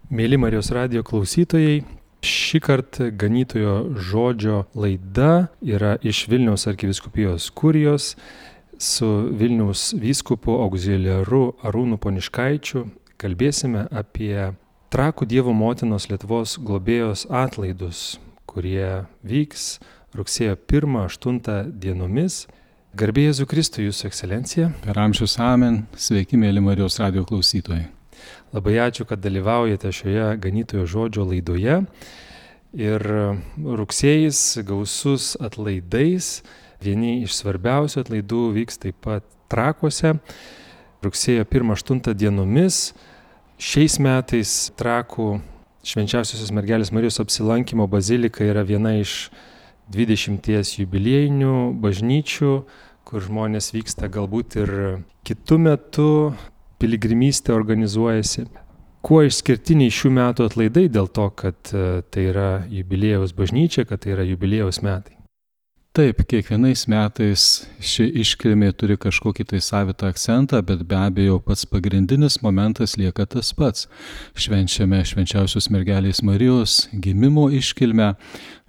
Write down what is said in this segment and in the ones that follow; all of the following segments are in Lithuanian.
Mėly Marijos radijo klausytojai, šį kartą ganytojo žodžio laida yra iš Vilniaus arkivyskupijos kurijos su Vilniaus vyskupu auxiliaru Arūnu Poniškaičiu. Kalbėsime apie Trakų Dievo motinos Lietuvos globėjos atlaidus, kurie vyks rugsėjo 1-8 dienomis. Garbė Jėzui Kristui, Jūsų ekscelencija. Per amžius amen. Sveiki, mėly Marijos radijo klausytojai. Labai ačiū, kad dalyvaujate šioje ganytojo žodžio laidoje. Ir rugsėjis gausus atlaidais. Vieni iš svarbiausių atlaidų vyks taip pat Trakuose. Rugsėjo 1-8 dienomis. Šiais metais Trakų Švenčiausiosios Mergelės Marijos apsilankymo bazilika yra viena iš 20 jubiliejinių bažnyčių, kur žmonės vyksta galbūt ir kitu metu. Piligrimystė organizuojasi. Kuo išskirtiniai šių metų atlaidai dėl to, kad tai yra jubiliejaus bažnyčia, kad tai yra jubiliejaus metai? Taip, kiekvienais metais ši iškilmė turi kažkokį tai savitą akcentą, bet be abejo pats pagrindinis momentas lieka tas pats. Švenčiame Švenčiausios Mergelės Marijos gimimo iškilmę,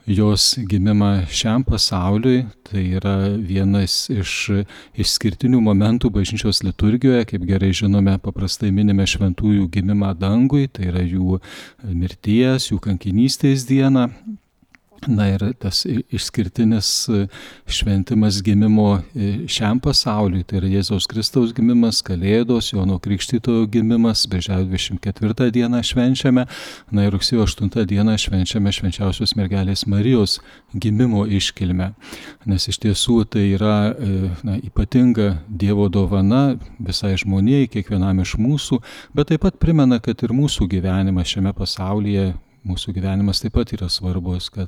jos gimimą šiam pasauliui. Tai yra vienas iš išskirtinių momentų bažnyčios liturgijoje. Kaip gerai žinome, paprastai minime šventųjų gimimą dangui, tai yra jų mirties, jų kankinystės dieną. Na ir tas išskirtinis šventimas gimimo šiam pasauliui, tai yra Jėzaus Kristaus gimimas, Kalėdos, Jono Krikštytojo gimimas, Birželio 24 dieną švenčiame, na ir rugsėjo 8 dieną švenčiame Švenčiausios Mergelės Marijos gimimo iškilmę. Nes iš tiesų tai yra ypatinga Dievo dovana visai žmonijai, kiekvienam iš mūsų, bet taip pat primena, kad ir mūsų gyvenimas šiame pasaulyje, mūsų gyvenimas taip pat yra svarbus, kad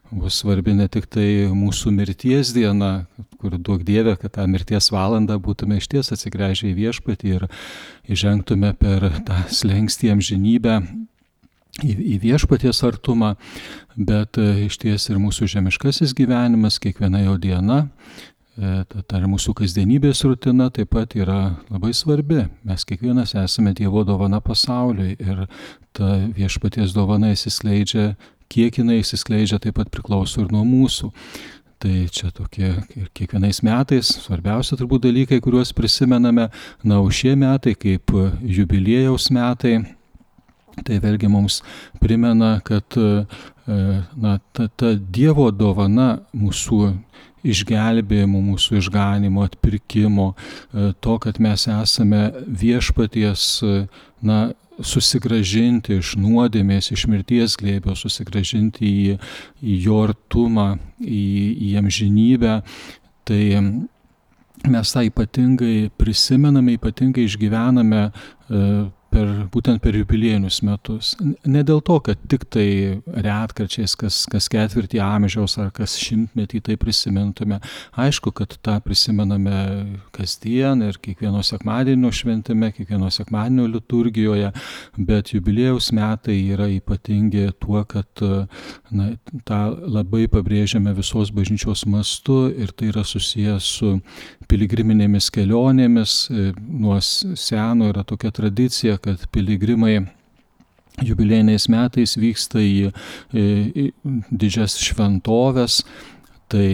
bus svarbi ne tik tai mūsų mirties diena, kur duok Dieve, kad tą mirties valandą būtume išties atsigręžę į Viešpatį ir įžengtume per tą slenkstį amžinybę į Viešpaties artumą, bet išties ir mūsų žemiškasis gyvenimas, kiekviena jo diena, ta ir mūsų kasdienybės rutina taip pat yra labai svarbi. Mes kiekvienas esame Dievo dovana pasauliui ir ta Viešpaties dovana įsiskleidžia, kiek jinai įsiskleidžia, taip pat priklauso ir nuo mūsų. Tai čia tokie kiekvienais metais svarbiausia turbūt dalykai, kuriuos prisimename. Na, o šie metai kaip jubiliejaus metai, tai vėlgi mums primena, kad ta Dievo dovana mūsų išgelbėjimo, mūsų išganimo, atpirkimo, to, kad mes esame Viešpaties, susigrąžinti iš nuodėmės, iš mirties glėbio, susigrąžinti į jo artumą, į amžinybę. Tai mes tą ypatingai prisimename, ypatingai išgyvename būtent per jubiliejinius metus. Ne dėl to, kad tik tai retkarčiais kas ketvirtį amžiaus ar kas šimtmetį tai prisimintume. Aišku, kad tą prisimename kasdien ir kiekvieno sekmadienio šventime, kiekvieno sekmadienio liturgijoje, bet jubiliejaus metai yra ypatingi tuo, kad tą labai pabrėžiame visos bažnyčios mastu ir tai yra susijęs su piligriminėmis kelionėmis. Nuo seno yra tokia tradicija, kad piligrimai jubiliejiniais metais vyksta į didžias šventoves, tai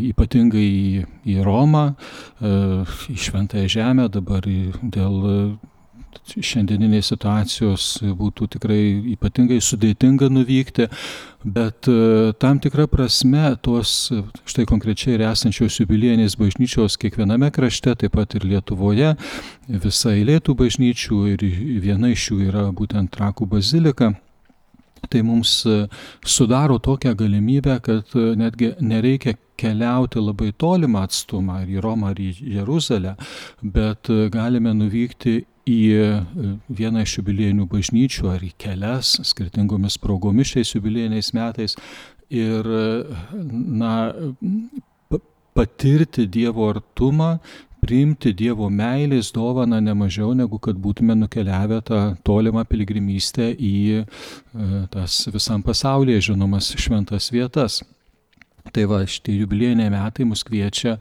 ypatingai į Romą, į Šventąją Žemę. Dabar dėl šiandieninės situacijos būtų tikrai ypatingai sudėtinga nuvykti, bet tam tikra prasme tos štai konkrečiai ir esančios jubiliejinės bažnyčios kiekviename krašte, taip pat ir Lietuvoje, visa eilė tų bažnyčių ir viena iš jų yra būtent Trakų bazilika. Tai mums sudaro tokią galimybę, kad netgi nereikia keliauti labai tolimą atstumą, ar į Romą, ar į Jeruzalę, bet galime nuvykti į vieną iš jubiliejinių bažnyčių ar į kelias skirtingomis progomis šiais jubiliejiniais metais ir patirti Dievo artumą, priimti Dievo meilės dovaną ne mažiau negu kad būtume nukeliavę tą tolimą piligrimystę į tas visam pasaulyje žinomas šventas vietas. Tai va, šitie jubiliejiniai metai mus kviečia,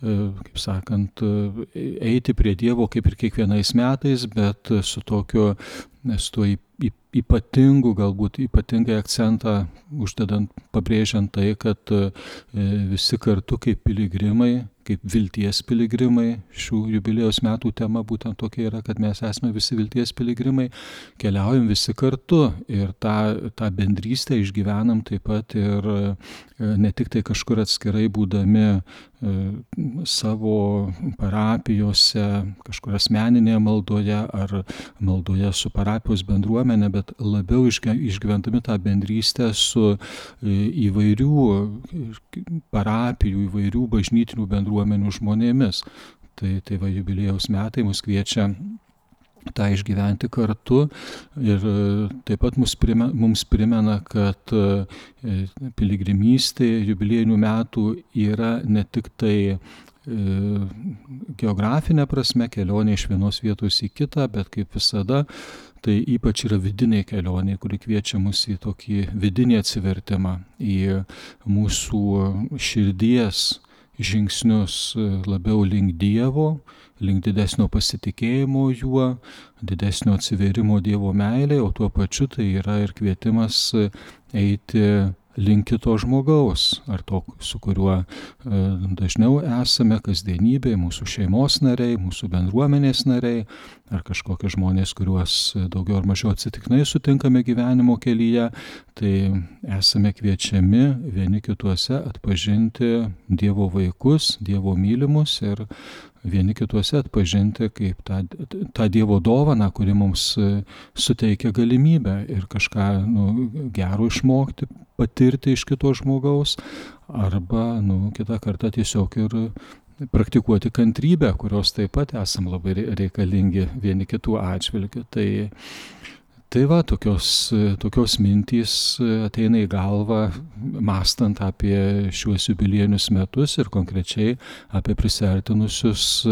kaip sakant, eiti prie Dievo kaip ir kiekvienais metais, bet su tuo ypatingai akcentą uždedant, pabrėžiant tai, kad visi kartu kaip piligrimai, kaip vilties piligrimai, šių jubiliejaus metų tema būtent tokia yra, kad mes esame visi vilties piligrimai, keliaujam visi kartu ir tą bendrystę išgyvenam taip pat ir ne tik tai kažkur atskirai būdami savo parapijose, kažkur asmeninėje maldoje ar maldoje su parapijos bendruomenė, bet labiau išgyvendami tą bendrystę su įvairių parapijų, įvairių bažnytinių bendruomenių žmonėmis. Tai va, jubiliejaus metai mus kviečia tą išgyventi kartu ir taip pat mums primena, kad piligrimystė jubiliejinių metų yra ne tik tai geografinė prasme kelionė iš vienos vietos į kitą, bet kaip visada tai ypač yra vidinė kelionė, kuri kviečia mus į tokį vidinį atsivertimą, į mūsų širdies žingsnius labiau link Dievo, link didesnio pasitikėjimo juo, didesnio atsiverimo Dievo meilė, o tuo pačiu tai yra ir kvietimas eiti link kito žmogaus, ar to, su kuriuo dažniau esame kasdienybėje, mūsų šeimos nariai, mūsų bendruomenės nariai, ar kažkokie žmonės, kuriuos daugiau ar mažiau atsitiktinai sutinkame gyvenimo kelyje, tai esame kviečiami vieni kituose atpažinti Dievo vaikus, Dievo mylimus ir vieni kituose atpažinti kaip tą Dievo dovaną, kuri mums suteikia galimybę ir kažką gero išmokti, patirti iš kito žmogaus, arba kitą kartą tiesiog ir praktikuoti kantrybę, kurios taip pat esam labai reikalingi vieni kitų atžvilgių. Tai va, tokios mintys ateina į galvą, mąstant apie šiuos jubiliejinius metus ir konkrečiai apie prisiartinusius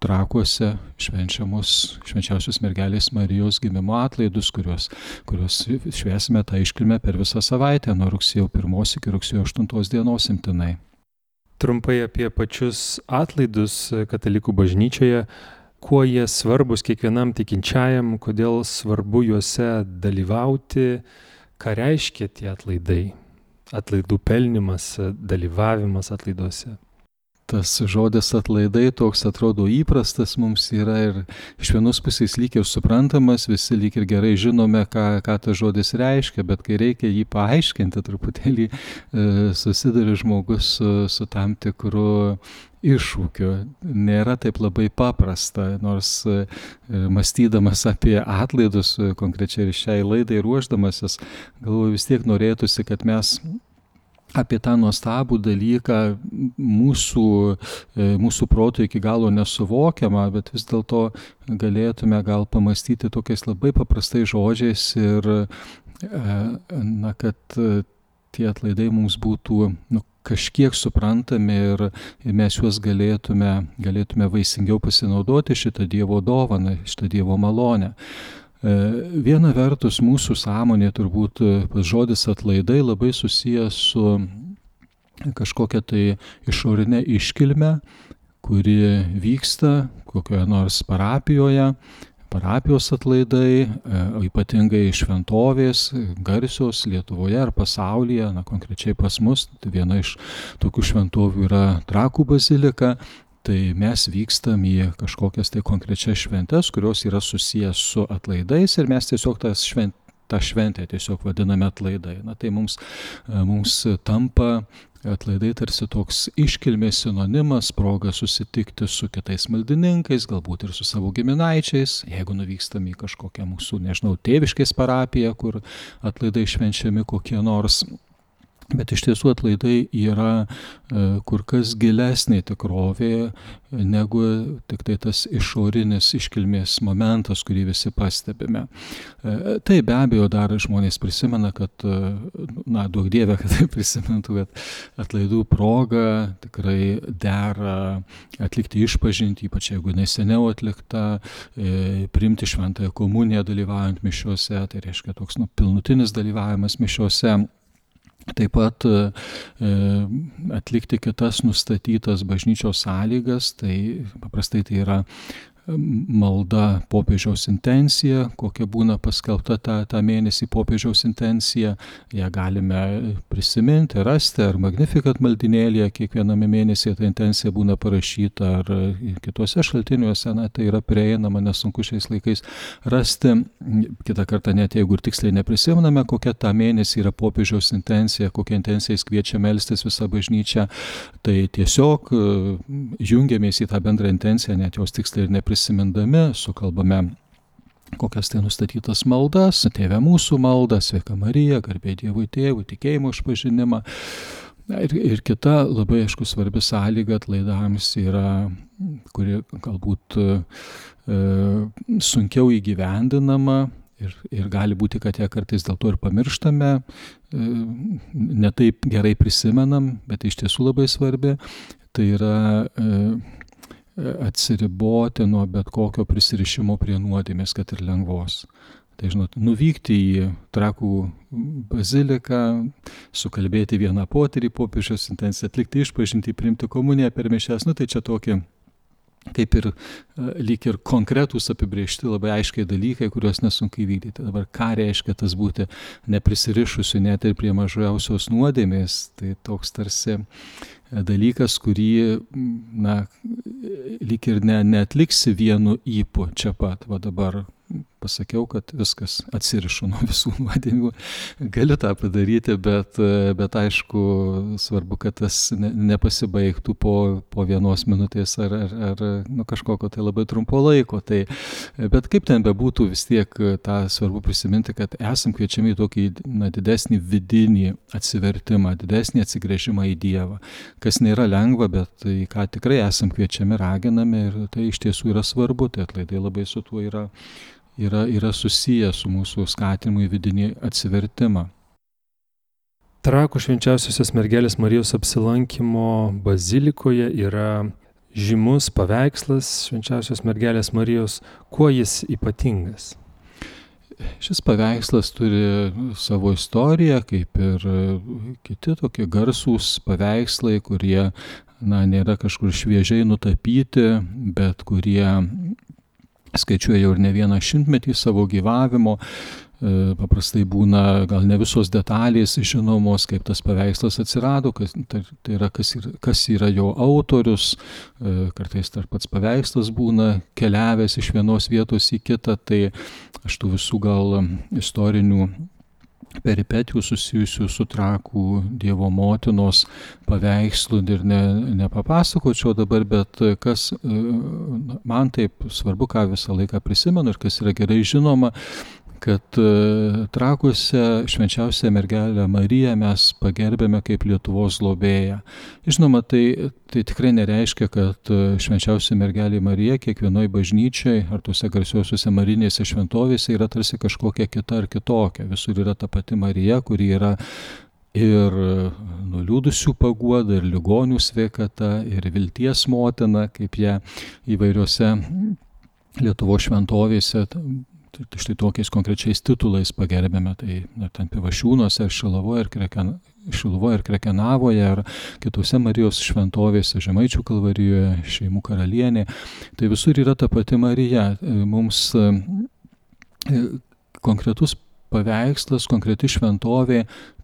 Trakuose švenčiausios mergelės Marijos gimimo atlaidus, kuriuos švęsime tą iškilmę per visą savaitę, nuo rugsėjo 1 iki rugsėjo 8 dienos imtinai. Trumpai apie pačius atlaidus katalikų bažnyčioje, kuo jie svarbus kiekvienam tikinčiajam, kodėl svarbu juose dalyvauti, ką reiškia tie atlaidai, atlaidų pelnimas, dalyvavimas atlaiduose. Tas žodis atlaidai toks atrodo įprastas mums yra ir iš vienos pusės lyg ir suprantamas, visi lyg ir gerai žinome, ką tas žodis reiškia, bet kai reikia jį paaiškinti, truputėlį susiduria žmogus su tam tikru iššūkiu. Nėra taip labai paprasta, nors mąstydamas apie atlaidus, konkrečiai ir šiai laidai ruošdamasis, galvoju, vis tiek norėtųsi, kad mes apie tą nuostabų dalyką mūsų proto iki galo nesuvokiamą, bet vis dėlto galėtume gal pamastyti tokiais labai paprastais žodžiais ir kad tie atlaidai mums būtų kažkiek suprantami ir mes juos galėtume vaisingiau pasinaudoti šitą Dievo dovaną, šitą Dievo malonę. Viena vertus mūsų sąmonė turbūt žodis atlaidai labai susijęs su kažkokia tai išorinė iškilme, kuri vyksta kokioje nors parapijoje, parapijos atlaidai, ypatingai šventovės, garsios Lietuvoje ar pasaulyje, konkrečiai pas mus, tai viena iš tokių šventovių yra Trakų bazilika. Tai mes vykstam į kažkokias tai konkrečias šventes, kurios yra susijęs su atlaidais ir mes tiesiog tą šventę tiesiog vadiname atlaidai. Tai mums tampa atlaidai tarsi toks iškilmės sinonimas, proga susitikti su kitais maldininkais, galbūt ir su savo giminaičiais, jeigu nuvykstam į kažkokią mūsų, tėviškės parapiją, kur atlaidai švenčiami kokie nors. Bet iš tiesų atlaidai yra kur kas gilesnė tikrovė negu tik tai tas išorinis iškilmės momentas, kurį visi pastebime. Tai be abejo dar žmonės prisimena, kad, duok Dieve, kad tai prisimintų, kad atlaidų proga tikrai dera atlikti išpažintį, ypač jeigu neseniau atlikta, priimti šventąją komuniją dalyvaujant mišiuose, tai reiškia toks pilnutinis dalyvavimas mišiuose. Taip pat atlikti kitas nustatytas bažnyčios sąlygas, tai paprastai tai yra malda popiežiaus intencija, kokia būna paskelbta tą mėnesį popiežiaus intencija. Ją galime prisiminti, rasti, ar Magnificat maldinėlėje kiekviename mėnesyje ta intencija būna parašyta, ar kitose šaltiniuose, tai yra prieinama, nesunku šiais laikais rasti. Kitą kartą, net jeigu ir tiksliai neprisimename, kokia tą mėnesį yra popiežiaus intencija, kokia intencija jis kviečia melstis visą bažnyčią, tai tiesiog jungiamės į tą bendrą intenciją, net jos tiksliai ir neprisimindami, sukalbame kokias tai nustatytas maldas, Tėve mūsų maldą, Sveika Marija, garbė Dievui Tėvui, tikėjimo išpažinimą. Ir kita labai aišku svarbi sąlyga atlaidams yra, kuri galbūt sunkiau įgyvendinama ir gali būti, kad ją kartais dėl to ir pamirštame, ne taip gerai prisimenam, bet iš tiesų labai svarbi. Tai yra atsiriboti nuo bet kokio prisirišimo prie nuodėmės, kad ir lengvos. Tai žinot, nuvykti į Trakų baziliką, sukalbėti vieną potyrį popiežiaus intenciją, atlikti išpažintį, priimti komuniją per mišias, tai čia tokie kaip ir lyg ir konkretūs apibrėžti labai aiškiai dalykai, kuriuos nesunku įvykdyti. Dabar ką reiškia tas būti neprisirišusiu net ir prie mažiausios nuodėmės, tai toks tarsi dalykas, kurį lyg ir neatliksi vienu ypu čia pat. Va dabar pasakiau, kad viskas atsirišu nuo visų nuodėmių. Galiu tą padaryti, bet aišku, svarbu, kad tas nepasibaigtų po 1 minutės ar kažkokio tai labai trumpo laiko. Bet kaip ten bebūtų, vis tiek tą svarbu prisiminti, kad esam kviečiami į tokį didesnį vidinį atsivertimą, didesnį atsigręžimą į Dievą, kas nėra lengva, bet į ką tikrai esam kviečiami, raginami ir tai iš tiesų yra svarbu. Tai atlaidai labai su tuo yra susiję su mūsų skatinimu į vidinį atsivertimą. Trakų švenčiausiosios mergelės Marijos apsilankymo bazilikoje yra žymus paveikslas švenčiausios mergelės Marijos. Kuo jis ypatingas? Šis paveikslas turi savo istoriją, kaip ir kiti tokie garsūs paveikslai, kurie nėra kažkur šviežiai nutapyti, bet kurie skaičiuoja jau ir ne vieną šimtmetį savo gyvavimo. Paprastai būna gal ne visos detalės žinomos, kaip tas paveikslas atsirado, tai yra kas yra jo autorius, kartais tarp pats paveikslas būna keliavęs iš vienos vietos į kitą, tai aš tų visų gal istorinių peripetijų susijusių su Trakų Dievo motinos paveikslu ir nepapasakočiau dabar, bet kas man taip svarbu, ką visą laiką prisimenu ir kas yra gerai žinoma, kad Trakuose švenčiausią mergelę Mariją mes pagerbėme kaip Lietuvos globėją. Žinoma, tai tikrai nereiškia, kad švenčiausia mergelė Marija kiekvienoj bažnyčiai ar tuose garsiuosiuose marinėse šventovėse yra tarsi kažkokia kita ar kitokia. Visur yra ta pati Marija, kuri yra ir nuliūdusių paguoda, ir ligonių sveikata, ir vilties motina, kaip ją įvairiose Lietuvos šventovėse štai tokiais konkrečiais titulais pagerbėme, tai ten Pivašiūnuose, Šiluvoje ir Krekenavoje, ar kitose Marijos šventovėse, Žemaičių Kalvarijoje, Šeimų karalienė. Tai visur yra ta pati Marija. Mums konkretus paveikslas, konkreti šventovė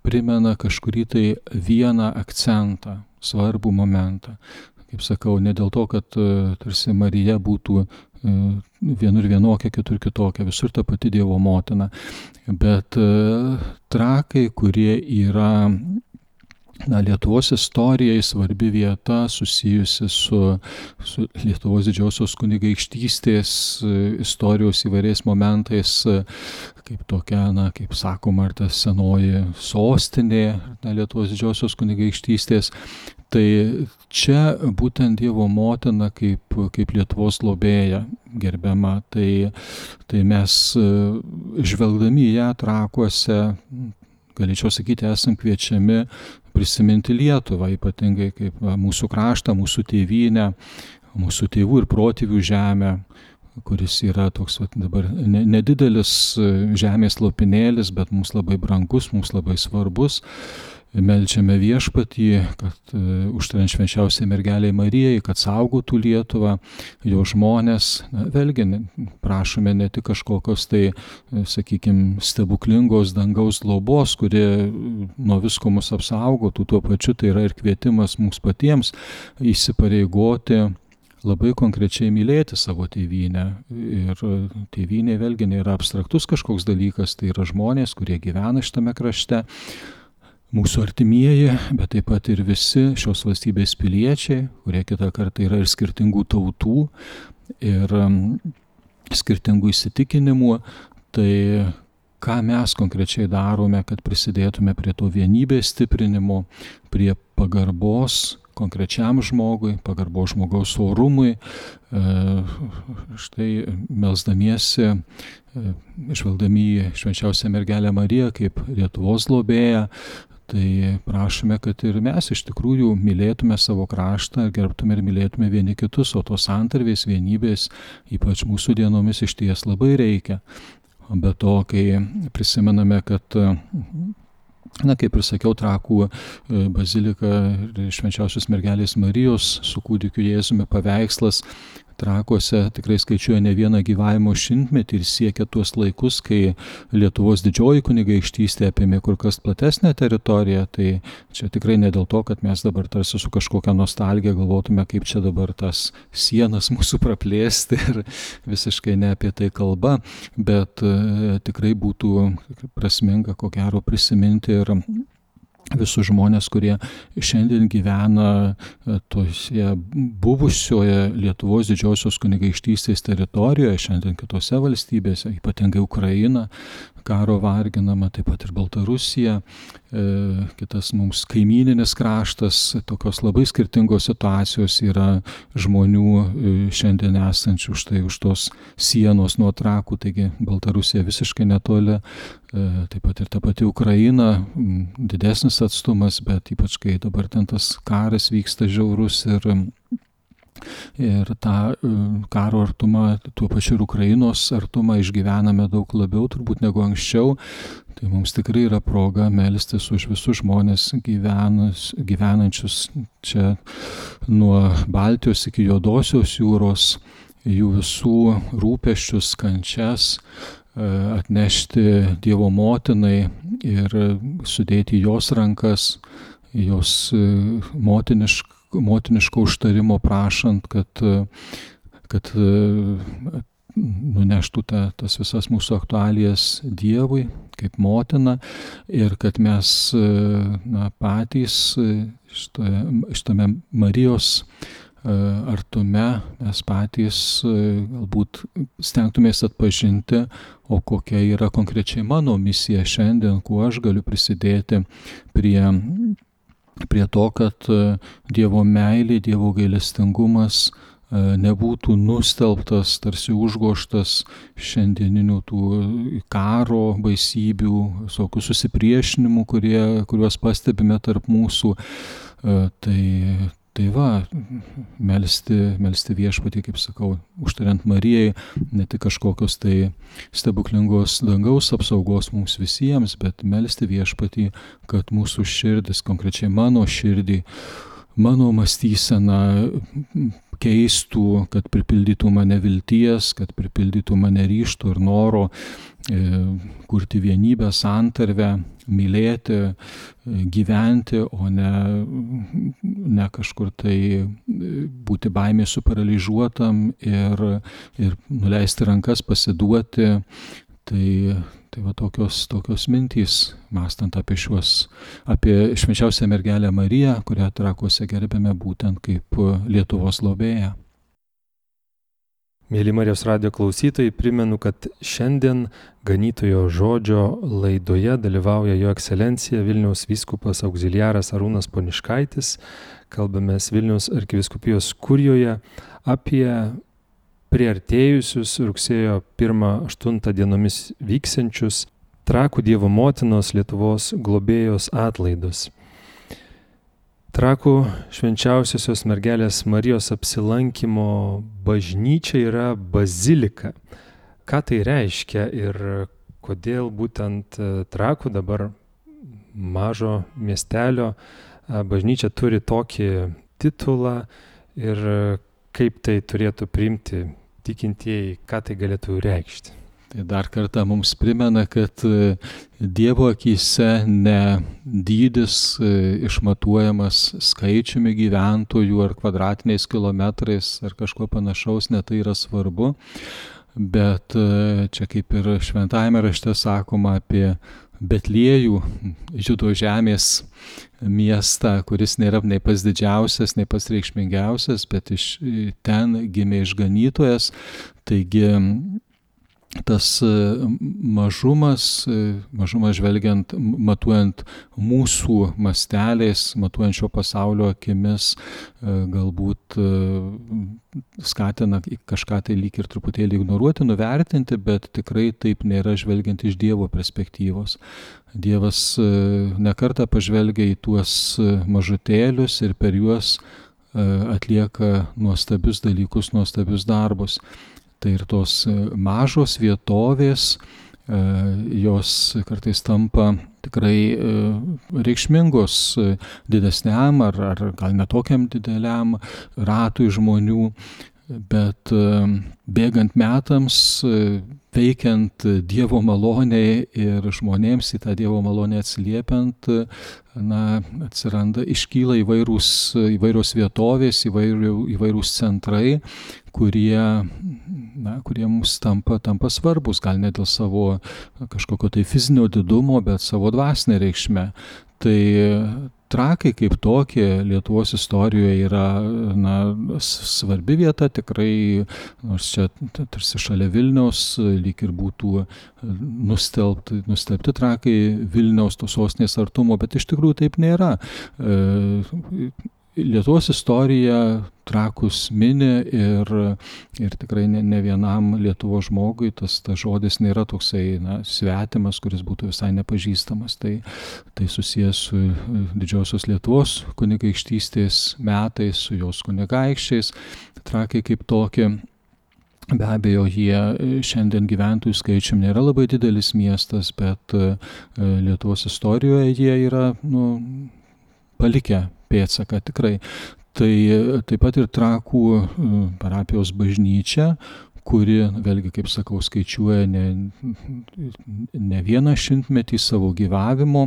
primena kažkurį tai vieną akcentą, svarbų momentą. Kaip sakau, ne dėl to, kad tarsi Marija būtų vienur vienokia, kitur kitokia, visur ta pati Dievo motina. Bet Trakai, kurie yra Lietuvos istorijai svarbi vieta susijusi su Lietuvos didžiosios kunigaikštystės istorijos įvairiais momentais, kaip tokia, kaip sakoma, ar ta senoji sostinė Lietuvos didžiosios kunigaikštystės. Tai čia būtent Dievo motina kaip Lietuvos globėja gerbiama. Tai mes žvelgdami į ją Trakuose, galėčiau sakyti, esam kviečiami prisiminti Lietuvą, ypatingai kaip mūsų kraštą, mūsų tėvynę, mūsų tėvų ir protėvių žemę, kuris yra toks dabar nedidelis žemės lopinėlis, bet mums labai brangus, mums labai svarbus. Meldžiame Viešpatį, kad užtariant švenčiausiai mergelei Marijai, kad saugotų Lietuvą, jo žmonės. Vėlgi prašome ne tik kažkokios tai, sakykime, stebuklingos dangaus globos, kuri nuo visko mus apsaugotų, tuo pačiu tai yra ir kvietimas mums patiems įsipareigoti labai konkrečiai mylėti savo tėvynę. Ir tėvynė vėlgi nėra abstraktus kažkoks dalykas, tai yra žmonės, kurie gyvena šitame krašte, mūsų artimieji, bet taip pat ir visi šios valstybės piliečiai, kurie kitą kartą yra ir skirtingų tautų ir skirtingų įsitikinimų. Tai ką mes konkrečiai darome, kad prisidėtume prie to vienybės stiprinimo, prie pagarbos konkrečiam žmogui, pagarbos žmogaus orumui. Štai melsdamiesi, žvelgdami į švenčiausią mergelę Mariją kaip Lietuvos globėją, tai prašome, kad ir mes iš tikrųjų mylėtume savo kraštą, gerbtume ir mylėtume vieni kitus, o tos santarvės, vienybės, ypač mūsų dienomis išties labai reikia. Be to, kai prisimename, kad kaip ir sakiau, Trakų bazilika ir švenčiausios mergelės Marijos su kūdikiu Jėzumi paveikslas Trakuose tikrai skaičiuoja ne vieną gyvavimo šimtmetį ir siekia tuos laikus, kai Lietuvos didžioji kunigaikštystė apėmė kur kas platesnę teritoriją. Tai čia tikrai ne dėl to, kad mes dabar tarsi su kažkokia nostalgija galvotume, kaip čia dabar tas sienas mūsų praplėsti ir visiškai ne apie tai kalba, bet tikrai būtų prasminga, ko gero, prisiminti ir visus žmonės, kurie šiandien gyvena toje buvusioje Lietuvos didžiosios kunigaikštystės teritorijoje, šiandien kitose valstybėse, ypatingai Ukraina, karo varginama, taip pat ir Baltarusija, kitas mums kaimyninis kraštas, tokios labai skirtingos situacijos yra žmonių šiandien esančių štai už tos sienos nuo Trakų, taigi Baltarusija visiškai netoli, taip pat ir ta pati Ukraina, didesnis atstumas, bet ypač kai dabar ten tas karas vyksta žiaurus ir tą karo artumą, tuo pačiu ir Ukrainos artumą išgyvename daug labiau turbūt negu anksčiau, tai mums tikrai yra proga melstis už visus žmonės gyvenančius čia nuo Baltijos iki Juodosios jūros, jų visų rūpesčius, kančias, atnešti Dievo motinai ir sudėti jos rankas, jos motiniško užtarimo prašant, kad nuneštų tas visas mūsų aktualijas Dievui kaip motina ir kad mes patys šitame Marijos artume mes patys galbūt stengtumės atpažinti, o kokia yra konkrečiai mano misija šiandien, kuo aš galiu prisidėti prie to, kad Dievo meilė, Dievo gailestingumas nebūtų nustelbtas, tarsi užgoštas šiandieninių tų karo baisybių, visokių susipriešinimų, kuriuos pastebime tarp mūsų. Tai va, melsti Viešpatį, kaip sakau, užtariant Marijai, ne tik kažkokios tai stebuklingos dangaus apsaugos mums visiems, bet melsti Viešpatį, kad mūsų širdis, konkrečiai mano širdį, mano mąstyseną keistų, kad pripildytų mane vilties, kad pripildytų mane ryžto ir noro kurti vienybę, santarvę, mylėti, gyventi, o ne kažkur tai būti baimė suparalyžiuotam ir nuleisti rankas, pasiduoti. Tai va tokios mintys, mąstant apie švenčiausią mergelę Mariją, kurią Trakuose gerbėme būtent kaip Lietuvos globėją. Mėly Marijos radijo klausytojai, primenu, kad šiandien Ganytojo žodžio laidoje dalyvauja Jo ekscelencija Vilniaus vyskupas auxiliaras Arūnas Poniškaitis. Kalbamės Vilniaus arkivyskupijos kurijoje apie priartėjusius rugsėjo 1-8 dienomis vyksiančius Trakų Dievo motinos Lietuvos globėjos atlaidus. Trakų švenčiausiosios mergelės Marijos apsilankymo bažnyčia yra bazilika. Ką tai reiškia ir kodėl būtent Trakų dabar mažo miestelio bažnyčia turi tokį titulą ir kaip tai turėtų priimti tikintieji, ką tai galėtų reikšti. Tai dar kartą mums primena, kad Dievo akyse ne dydis išmatuojamas skaičiumi gyventojų ar kvadratiniais kilometrais ar kažko panašaus, ne tai yra svarbu, bet čia kaip ir šventajame rašte sakoma apie Betliejų, Judo žemės miestą, kuris nėra nei pats didžiausias, nei pats reikšmingiausias, bet iš ten gimė išganytojas. Taigi tas mažumas žvelgiant, matuojant mūsų masteliais, matuojant šio pasaulio akimis, galbūt skatina kažką tai lyg ir truputėlį ignoruoti, nuvertinti, bet tikrai taip nėra žvelgiant iš Dievo perspektyvos. Dievas nekartą pažvelgia į tuos mažutėlius ir per juos atlieka nuostabius dalykus, nuostabius darbus. Tai ir tos mažos vietovės, jos kartais tampa tikrai reikšmingos didesniam ar gal netokiam dideliam ratui žmonių, bet bėgant metams, veikiant Dievo malonei ir žmonėms į tą Dievo malonę atsiliepiant, iškyla įvairios vietovės, įvairūs centrai, kurie mums tampa svarbus, gal ne dėl savo kažkokio tai fizinio didumo, bet savo dvasinę reikšmę. Tai Trakai kaip tokie Lietuvos istorijoje yra svarbi vieta, tikrai, nors čia tarsi šalia Vilniaus, lyg ir būtų nustelbti Trakai Vilniaus tos sostinės artumo, bet iš tikrųjų taip nėra. Lietuvos istorija Trakus mini ir tikrai ne vienam Lietuvos žmogui tas žodis nėra toksai svetimas, kuris būtų visai nepažįstamas. Tai susijęs su didžiosios Lietuvos kunigaikštystės metais, su jos kunigaikščiais. Trakai kaip tokie, be abejo, jie šiandien gyventojų skaičium nėra labai didelis miestas, bet Lietuvos istorijoje jie yra palikę pėdsaką tikrai. Tai taip pat ir Trakų parapijos bažnyčia, kuri, vėlgi, kaip sakau, skaičiuoja ne vieną šimtmetį savo gyvavimo.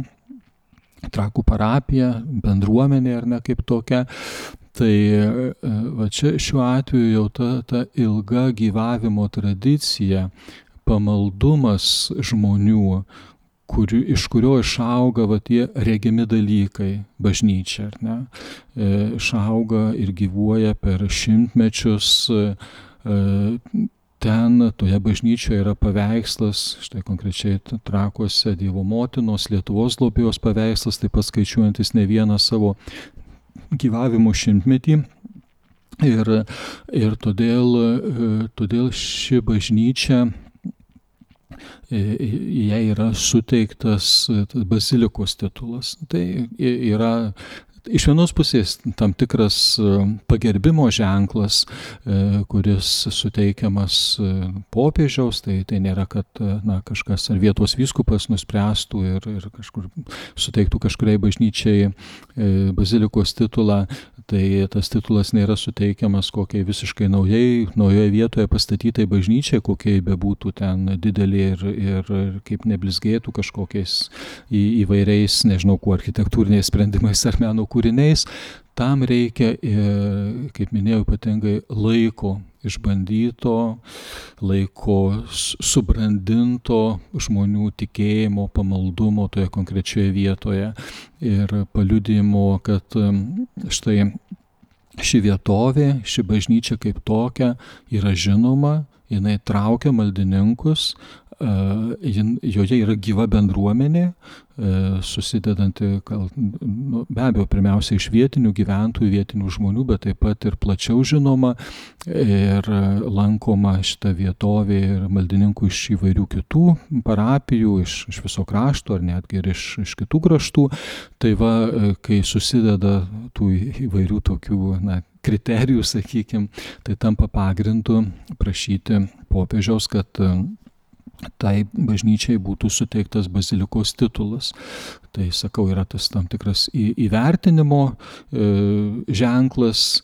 Trakų parapija, bendruomenė ar ne kaip tokia. Tai va čia šiuo atveju jau ta ilga gyvavimo tradicija, pamaldumas žmonių, iš kurio išauga tie regimi dalykai, bažnyčia, ar ne? Išauga ir gyvuoja per šimtmečius. Ten, toje bažnyčioje yra paveikslas, štai konkrečiai Trakuose Dievo motinos, Lietuvos globėjos paveikslas, taip pat skaičiuojantis ne vieną savo gyvavimo šimtmetį. Ir todėl ši bažnyčia, jai yra suteiktas bazilikos titulas. Tai yra iš vienos pusės tam tikras pagerbimo ženklas, kuris suteikiamas popiežiaus, tai nėra, kad kažkas ar vietos vyskupas nuspręstų ir kažkur suteiktų kažkuriai bažnyčiai bazilikos titulą. Tai tas titulas nėra suteikiamas kokiai visiškai naujoje vietoje pastatytai bažnyčiai, kokiai bebūtų ten didelė ir kaip neblizgėtų kažkokiais įvairiais, nežinau, kuo architektūriniais sprendimais ar meno kūriniais. Tam reikia, kaip minėjau, ypatingai laiko išbandyto, laiko subrandinto žmonių tikėjimo, pamaldumo toje konkrečioje vietoje ir paliudijimo, kad štai ši vietovė, ši bažnyčia kaip tokia yra žinoma, jinai traukia maldininkus, joje yra gyva bendruomenė, susidedanti, be abejo, pirmiausia iš vietinių gyventojų, vietinių žmonių, bet taip pat ir plačiau žinoma ir lankoma šita vietovė ir maldininkų iš įvairių kitų parapijų, iš viso krašto ar netgi ir iš kitų kraštų. Tai va, kai susideda tų įvairių tokių, kriterijų, sakykime, tai tampa pagrindu prašyti popiežiaus, kad tai bažnyčiai būtų suteiktas bazilikos titulas. Tai, sakau, yra tas tam tikras įvertinimo ženklas.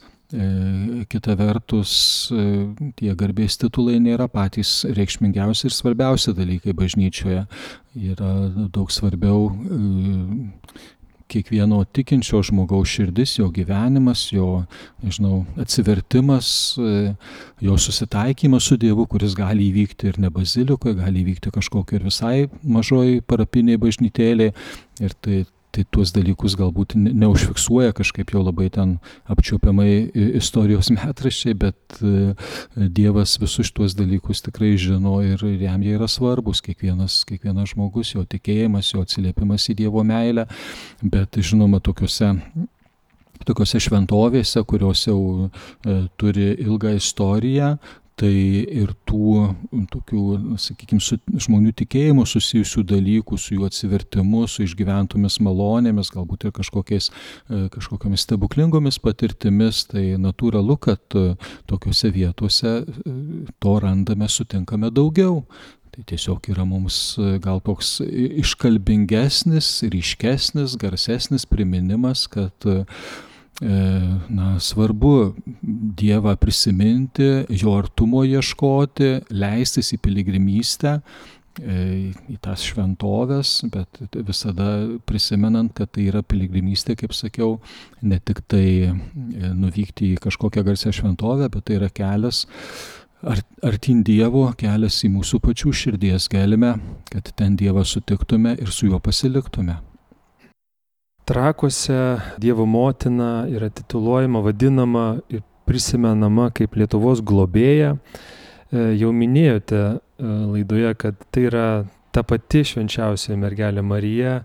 Kita vertus, tie garbės titulai nėra patys reikšmingiausi ir svarbiausi dalykai bažnyčioje. Yra daug svarbiau kiekvieno tikinčio žmogaus širdis, jo gyvenimas, jo, atsivertimas, jo susitaikymas su Dievu, kuris gali įvykti ir ne bazilikoje, gali įvykti kažkokio ir visai mažoj parapinėj bažnytėlėj. Ir tai tuos dalykus galbūt neužfiksuoja kažkaip jau labai ten apčiuopiamai istorijos metraščiai, bet Dievas visus šitos dalykus tikrai žino ir jam jie yra svarbus, kiekvienas žmogus, jo tikėjimas, jo atsiliepimas į Dievo meilę, bet žinoma tokiose šventovėse, kurios jau turi ilgą istoriją, tai ir tų tokių, sakykime, su žmonių tikėjimu susijusių dalykų, su jų atsivertimu, su išgyventomis malonėmis, galbūt ir kažkokiamis stebuklingomis patirtimis, tai natūralu, kad tokiuose vietose to randame, sutinkame daugiau. Tai tiesiog yra mums gal toks iškalbingesnis, ryškesnis, garsesnis priminimas, kad svarbu Dievą prisiminti, jo artumo ieškoti, leistis į piligrimystę, į tas šventovės, bet visada prisimenant, kad tai yra piligrimystė, kaip sakiau, ne tik tai nuvykti į kažkokią garsią šventovę, bet tai yra kelias artyn Dievo, kelias į mūsų pačių širdies gelmę, kad ten Dievą sutiktume ir su juo pasiliktume. Trakuose Dievo motina yra tituluojama, vadinama ir prisimenama kaip Lietuvos globėja. Jau minėjote laidoje, kad tai yra ta pati švenčiausia mergelė Marija,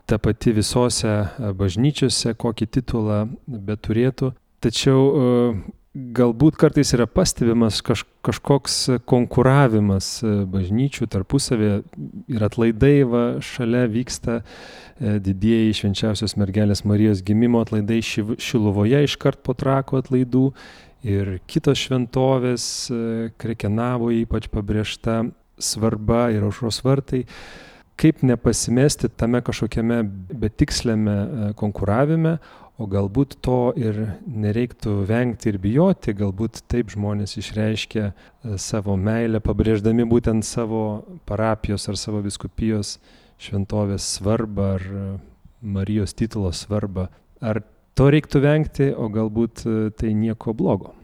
ta pati visose bažnyčiose, kokį titulą beturėtų. Tačiau galbūt kartais yra pastebimas kažkoks konkuravimas bažnyčių tarpusavėje ir atlaidai šalia vyksta didieji švenčiausios mergelės Marijos gimimo atlaidai Šiluvoje iškart po Trakų atlaidų ir kitos šventovės, Krekenavoje ypač pabrėžta svarba ir Aušros vartai. Kaip nepasimesti tame kažkokiame betiksliame konkuravime, o galbūt to ir nereiktų vengti ir bijoti, galbūt taip žmonės išreiškia savo meilę, pabrėždami būtent savo parapijos ar savo vyskupijos šventovės svarbą ar Marijos titulo svarbą. Ar to reiktų vengti, o galbūt tai nieko blogo?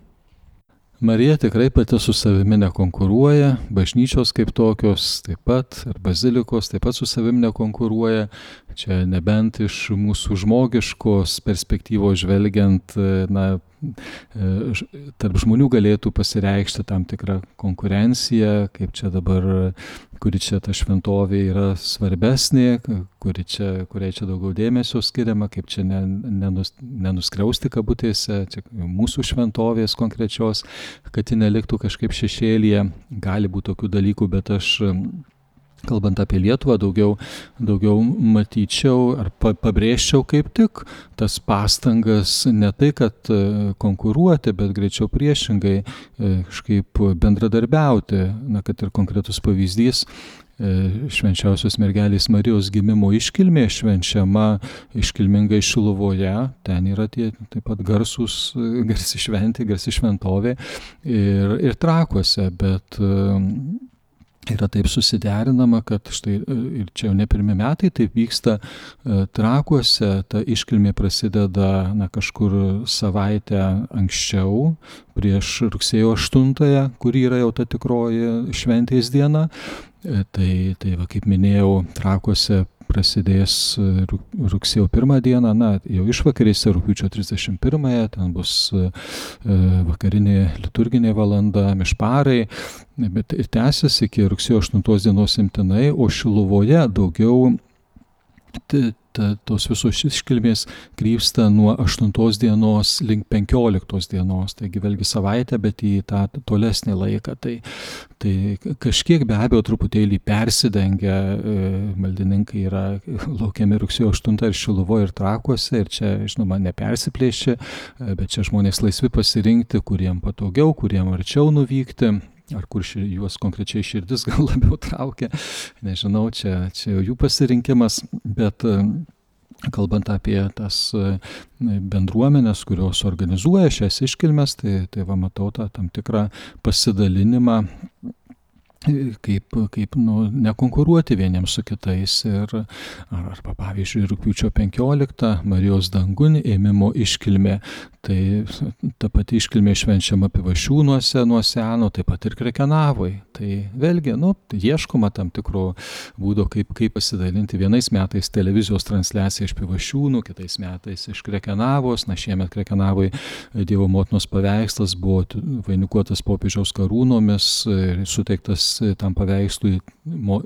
Marija tikrai pati su savimi nekonkuruoja, bažnyčios kaip tokios taip pat, ir bazilikos taip pat su savimi nekonkuruoja. Čia nebent iš mūsų žmogiškos perspektyvos žvelgiant, tarp žmonių galėtų pasireikšti tam tikrą konkurenciją, kaip čia dabar, kuri čia ta šventovė yra svarbesnė, kuriai čia daugiau dėmesio skiriama, kaip čia nenuskriausti kabutėse, čia mūsų šventovės konkrečios, kad ji neliktų kažkaip šešėlyje. Gali būti tokių dalykų, bet aš, kalbant apie Lietuvą, daugiau matyčiau ar pabrėžčiau kaip tik tas pastangas ne tai, kad konkuruoti, bet greičiau priešingai kažkaip bendradarbiauti. Kad ir konkretus pavyzdys, švenčiausios mergelės Marijos gimimo iškilmė švenčiama iškilmingai Šiluvoje, ten yra tie taip pat garsi šventė, garsi šventovė ir Trakuose, bet yra taip susiderinama, kad štai ir čia jau ne pirmi metai taip vyksta Trakuose, ta iškilmė prasideda kažkur savaitę anksčiau, prieš rugsėjo 8, kuri yra jau ta tikroji šventės diena. Tai va, kaip minėjau, Trakuose prasidės rugsėjo 1 dieną, jau išvakarėse rugpjūčio 31, ten bus vakarinė liturginė valanda, mišparai, bet ir tęsis iki rugsėjo 8 dienos imtinai, o Šiluvoje daugiau tos visos iškilmės krypsta nuo 8 dienos link 15 dienos, taigi vėlgi savaitę, bet į tą tolesnį laiką. Tai kažkiek be abejo truputėlį persidengia, maldininkai yra laukiami rugsėjo 8 ir Šiluvoje ir Trakuose, ir čia, žinoma, nepersiplėšia, bet čia žmonės laisvi pasirinkti, kuriem patogiau, kuriem arčiau nuvykti. Ar kur juos konkrečiai širdis gal labiau traukia, nežinau, čia jų pasirinkimas, bet kalbant apie tas bendruomenės, kurios organizuoja šias iškilmes, tai va matau tą tam tikrą pasidalinimą, kaip nekonkuruoti vieniems su kitais. Arba pavyzdžiui, rugpjūčio 15 Marijos dangun ėmimo iškilmė, tai ta pati iškilmė švenčiama Pivašiūnuose nuo seno, taip pat ir Krekenavoj. Tai vėlgi, ieškoma tam tikro būdo, kaip pasidalinti. Vienais metais televizijos transliacija iš Pivašiūnų, kitais metais iš Krekenavos. Šiemet Krekenavoj Dievo motinos paveikslas buvo vainikuotas popiežiaus karūnomis ir suteiktas tam paveikslui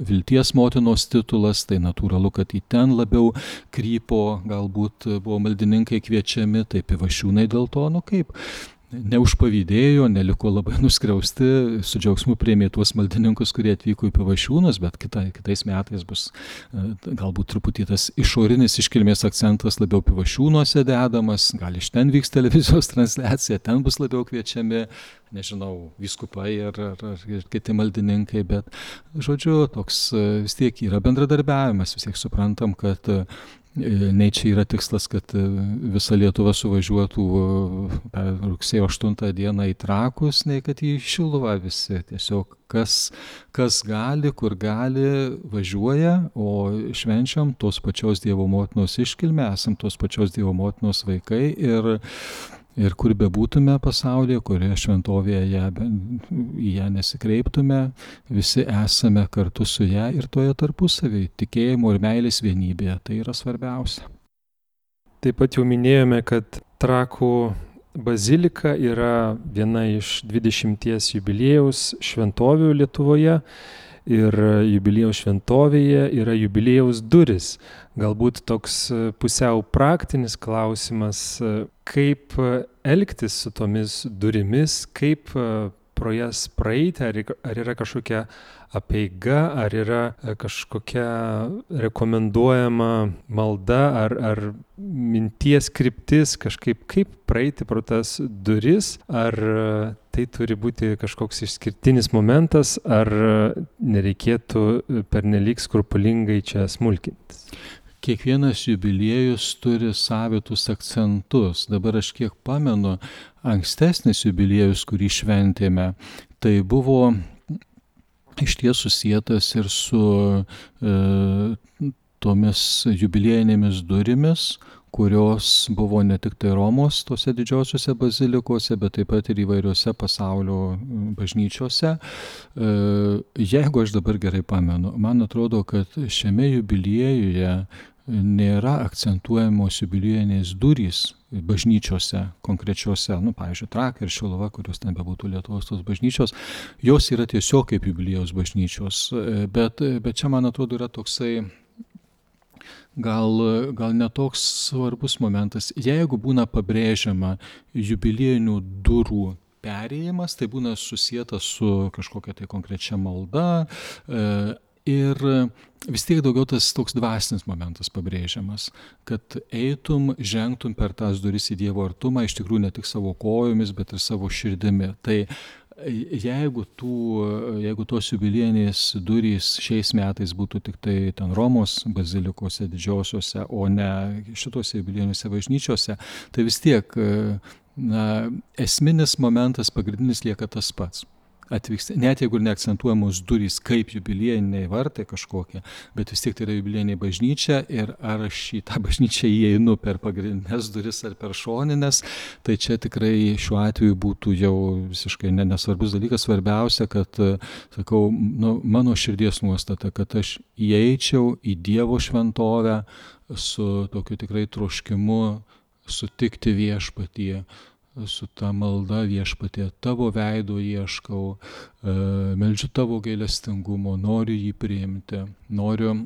Vilties motinos titulas, tai natūralu, kad į ten labiau krypo, galbūt buvo maldininkai kviečiami, tai Pivašiūnai dėl to, kaip neužpavydėjo, neliko labai nuskriausti, su džiaugsmu priėmė tuos maldininkus, kurie atvyko į Pivašiūnus, bet kitais metais bus galbūt truputį tas išorinis iškilmės akcentas labiau Pivašiūnuose dedamas, gal iš ten vyks televizijos transliacija, ten bus labiau kviečiami, nežinau, vyskupai ar kiti maldininkai, bet, žodžiu, toks vis tiek yra bendradarbiavimas, vis tiek suprantam, kad nei čia yra tikslas, kad visa Lietuva suvažiuotų rugsėjo 8 dieną į Trakus, nei kad į Šiluvą visi. Tiesiog kas gali, kur gali, važiuoja, o švenčiam tos pačios Dievo motinos iškilmę, esam tos pačios Dievo motinos vaikai ir kur bebūtume pasaulyje, kurioje šventovėje į ją nesikreiptume, visi esame kartu su ją ir toje tarpusavy, tikėjimo ir meilės vienybėje. Tai yra svarbiausia. Taip pat jau minėjome, kad Trakų bazilika yra viena iš 20 jubiliejaus šventovių Lietuvoje. Ir jubiliejaus šventovėje yra jubiliejaus duris. Galbūt toks pusiau praktinis klausimas, kaip elgtis su tomis durimis, kaip pro jas praeiti, ar yra kažkokia apeiga, ar yra kažkokia rekomenduojama malda, ar minties kryptis, kaip praeiti pro tas duris, ar tai turi būti kažkoks išskirtinis momentas, ar nereikėtų pernelyg skrupulingai čia smulkintis. Kiekvienas jubiliejus turi savitus akcentus. Dabar aš kiek pamenu, ankstesnis jubiliejus, kurį šventėme, tai buvo išties susietas ir su tomis jubiliejinėmis durimis, kurios buvo ne tik tai Romos tose didžiosiuose bazilikose, bet taip pat ir įvairiose pasaulio bažnyčiose. Jeigu aš dabar gerai pamenu, man atrodo, kad šiame jubiliejuje nėra akcentuojamos jubiliejinės durys bažnyčiose konkrečiose, pavyzdžiui, Trakai ir Šiluva, kurios ten bebūtų Lietuvos tos bažnyčios, jos yra tiesiog kaip jubiliejaus bažnyčios, bet čia, man atrodo, yra toksai gal netoks svarbus momentas. Jeigu būna pabrėžiama jubiliejinių durų perėjimas, tai būna susijęta su kažkokia tai konkrečia malda ir vis tiek daugiau tas toks dvasinis momentas pabrėžiamas, kad žengtum per tas duris į Dievo artumą, iš tikrųjų ne tik savo kojomis, bet ir savo širdimi. Tai jeigu tos jubiliejinės durys šiais metais būtų tik tai ten Romos bazilikose didžiosiuose, o ne šitose jubiliejinėse bažnyčiose, tai vis tiek esminis momentas, pagrindinis lieka tas pats, atvyksta, net jeigu ir neakcentuojamos durys kaip jubiliejiniai vartai kažkokie, bet vis tiek tai yra jubiliejinė bažnyčia ir ar aš į tą bažnyčią įeinu per pagrindinės duris ar per šoninės, tai čia tikrai šiuo atveju būtų jau visiškai nesvarbus dalykas. Svarbiausia, kad, sakau, mano širdies nuostata, kad aš įeičiau į Dievo šventovę su tokiu tikrai troškimu sutikti viešpatie, su ta malda viešpatie, tavo veido ieškau, meldžiu tavo gailestingumo, noriu jį priimti, noriu,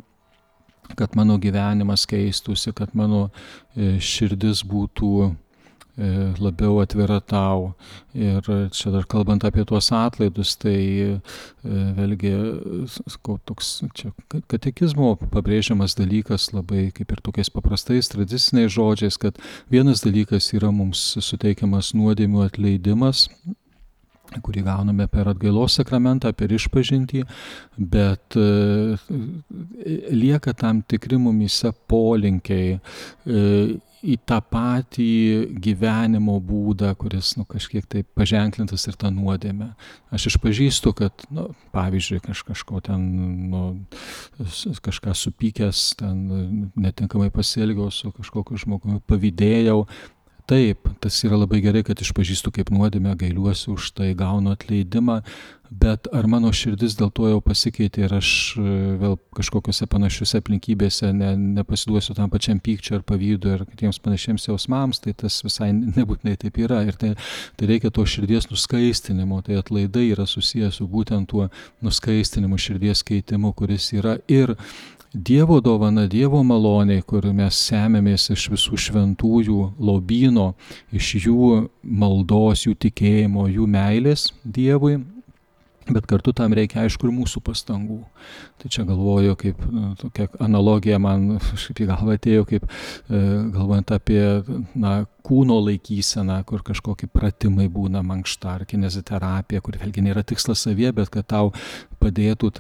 kad mano gyvenimas keistųsi, kad mano širdis būtų labiau atvira tau. Ir čia dar kalbant apie tuos atlaidus, tai vėlgi toks čia katekizmo pabrėžiamas dalykas labai kaip ir tokiais paprastais tradiciniais žodžiais, kad vienas dalykas yra mums suteikiamas nuodėmių atleidimas, kurį gauname per atgailos sakramentą, per išpažintį, bet lieka tam tikri mumyse polinkiai į tą patį gyvenimo būdą, kuris kažkiek tai paženklintas ir tą nuodėmę. Aš išpažįstu, kad, pavyzdžiui, kažko ten, kažką supykęs, ten netinkamai pasielgiau su kažkokiu žmogumi, pavydėjau. Taip, tas yra labai gerai, kad išpažįstu kaip nuodėmę, gailiuosi už tai, gaunu atleidimą, bet ar mano širdis dėl to jau pasikeitė ir aš vėl kažkokiose panašiuose aplinkybėse nepasiduosiu tam pačiam pykčiu ar pavydu ir kitiems panašiems jausmams, tai tas visai nebūtinai taip yra. Ir tai reikia to širdies nuskaistinimo, tai atlaidai yra susijęs su būtent tuo nuskaistinimu, širdies keitimu, kuris yra ir Dievo dovana, Dievo maloniai, kur mes semėmės iš visų šventųjų lobyno, iš jų maldos, jų tikėjimo, jų meilės Dievui, bet kartu tam reikia, aišku, ir mūsų pastangų. Tai čia galvoju, kaip tokia analogija man kažkaip į galvą atėjo, kaip galvojant apie kūno laikyseną, kur kažkokie pratimai būna, mankšta ar kineziterapija, kur vėlgi nėra tikslas savie, bet kad tau padėtų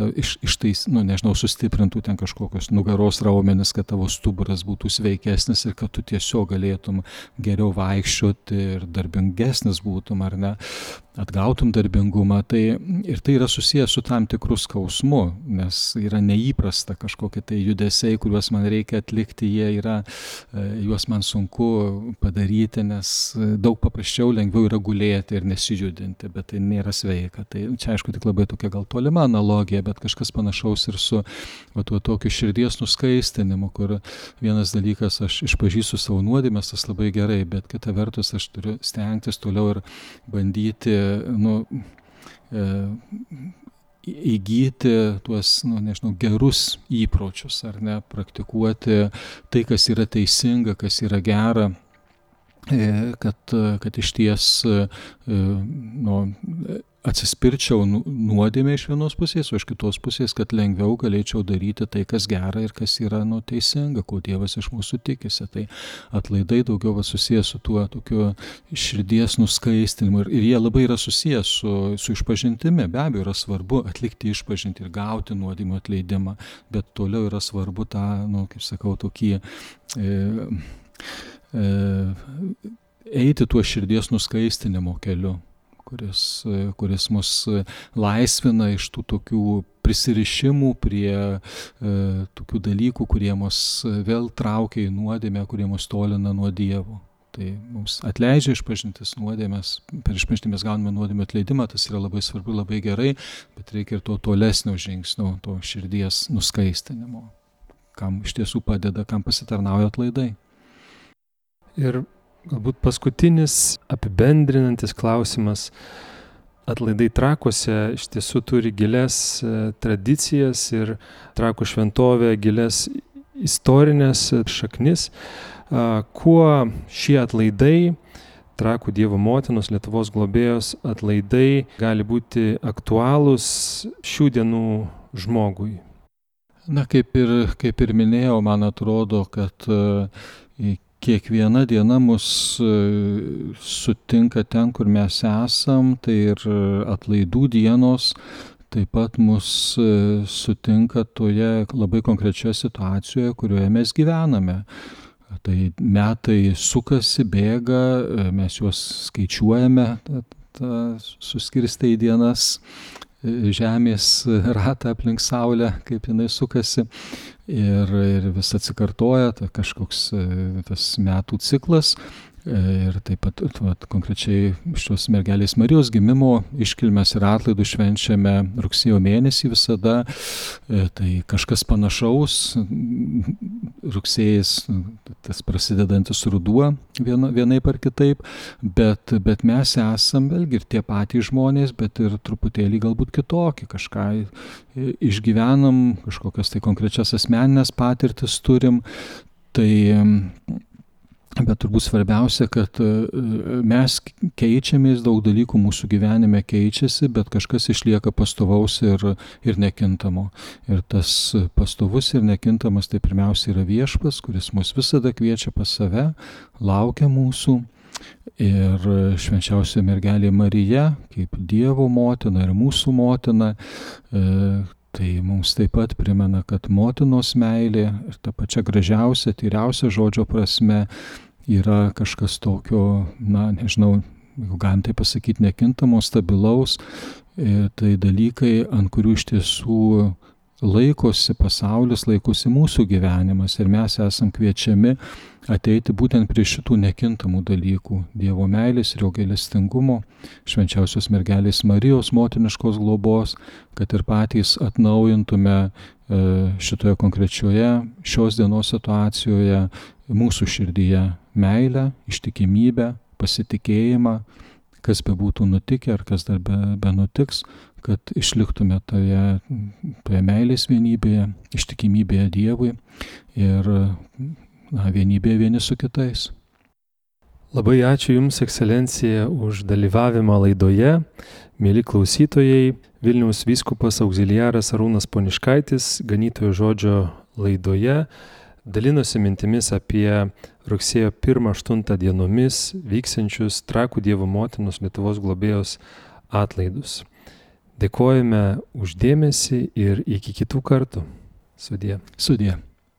sustiprintų ten kažkokios nugaros raumenis, kad tavo stuburas būtų sveikesnis ir kad tu tiesiog galėtum geriau vaikščioti ir darbingesnis būtum, ar ne, atgautum darbingumą. Ir tai yra susijęs su tam tikru skausmu, nes yra neįprasta kažkokie tai judesiai, kuriuos man reikia atlikti, juos man sunku padaryti, nes daug paprasčiau, lengviau yra gulėti ir nesijudinti, bet tai nėra sveika. Tai čia aišku tik labai tokia gal tolima analogija, bet kažkas panašaus ir su tokiu širdies nuskaistinimu, kur vienas dalykas, aš išpažįstu savo nuodėmes, tas labai gerai, bet kita vertus aš turiu stengtis toliau ir bandyti įgyti tuos, gerus įpročius, ar ne, praktikuoti tai, kas yra teisinga, kas yra gera, kad iš ties atsispirčiau nuodėmę iš vienos pusės, o iš kitos pusės, kad lengviau galėčiau daryti tai, kas gera ir kas yra teisinga, ko Dievas iš mūsų tikisi. Tai atlaidai daugiau susijęs su tuo tokiu širdies nuskaistinimu ir jie labai yra susijęs su išpažintimi. Be abejo, yra svarbu atlikti išpažintį ir gauti nuodėmių atleidimą, bet toliau yra svarbu tą, kaip sakau, tokį eiti tuo širdies nuskaistinimo keliu, kuris mus laisvina iš tų tokių prisirišimų prie tokių dalykų, kurie mus vėl traukia į nuodėmę, kurie mus tolina nuo Dievo. Tai mums atleidžia išpažintis nuodėmės, per išpažintį mes gauname nuodėmių atleidimą, tas yra labai svarbu, labai gerai, bet reikia ir to tolesnio žingsnio, to širdies nuskaistinimo, kam iš tiesų padeda, kam pasitarnauja atlaidai. Ir galbūt paskutinis apibendrinantis klausimas. Atlaidai Trakuose iš tiesų turi gilias tradicijas ir Trakų šventovė gilias istorinės šaknis. Kuo šie atlaidai, Trakų Dievo motinos, Lietuvos globėjos atlaidai gali būti aktualūs šių dienų žmogui? Kaip ir minėjau, man atrodo, kad kiekviena diena mus sutinka ten, kur mes esam, tai ir atlaidų dienos taip pat mus sutinka toje labai konkrečioje situacijoje, kurioje mes gyvename. Tai metai sukasi, bėga, mes juos skaičiuojame, suskirstė į dienas Žemės ratą aplink Saulę, kaip jinai sukasi, ir vis atsikartoja kažkoks tas metų ciklas. Ir taip pat konkrečiai šios mergelės Marijos gimimo iškilmes ir atlaidų švenčiame rugsėjo mėnesį visada. Tai kažkas panašaus, rugsėjais, tas prasidedantis ruduo vienaip ar kitaip, bet mes esam vėlgi ir tie patys žmonės, bet ir truputėlį galbūt kitokį, kažką išgyvenam, kažkokias tai konkrečias asmeninės patirtis turim. Bet turbūt svarbiausia, kad mes keičiamės, daug dalykų mūsų gyvenime keičiasi, bet kažkas išlieka pastovaus ir nekintamo. Ir tas pastovus ir nekintamas tai pirmiausia yra Viešpats, kuris mus visada kviečia pas save, laukia mūsų. Ir švenčiausia mergelė Marija, kaip Dievo motina ir mūsų motina, tai mums taip pat primena, kad motinos meilė ir ta pačia gražiausia, tyriausia žodžio prasme yra kažkas tokio, nežinau, jeigu galim tai pasakyti, nekintamo, stabilaus. Tai dalykai, ant kurių iš tiesų laikosi pasaulis, laikosi mūsų gyvenimas. Ir mes esam kviečiami ateiti būtent prie šitų nekintamų dalykų. Dievo meilės ir jo gailestingumo, švenčiausios mergelės Marijos motiniškos globos, kad ir patys atnaujintume šitoje konkrečioje šios dienos situacijoje mūsų širdyje meilę, ištikimybę, pasitikėjimą, kas bebūtų nutikę ar kas dar benutiks, kad išliktume toje meilės vienybėje, ištikimybėje Dievui ir vienybėje vieni su kitais. Labai ačiū Jums, Ekscelencija, už dalyvavimą laidoje. Mieli klausytojai, Vilniaus vyskupas augziliaras Arūnas Poniškaitis Ganytojo žodžio laidoje dalinosi mintimis apie rugsėjo 1-8 dienomis vyksiančius Trakų Dievo motinos Lietuvos globėjos atlaidus. Dėkojame už dėmesį ir iki kitų kartų. Sudie. Sudie.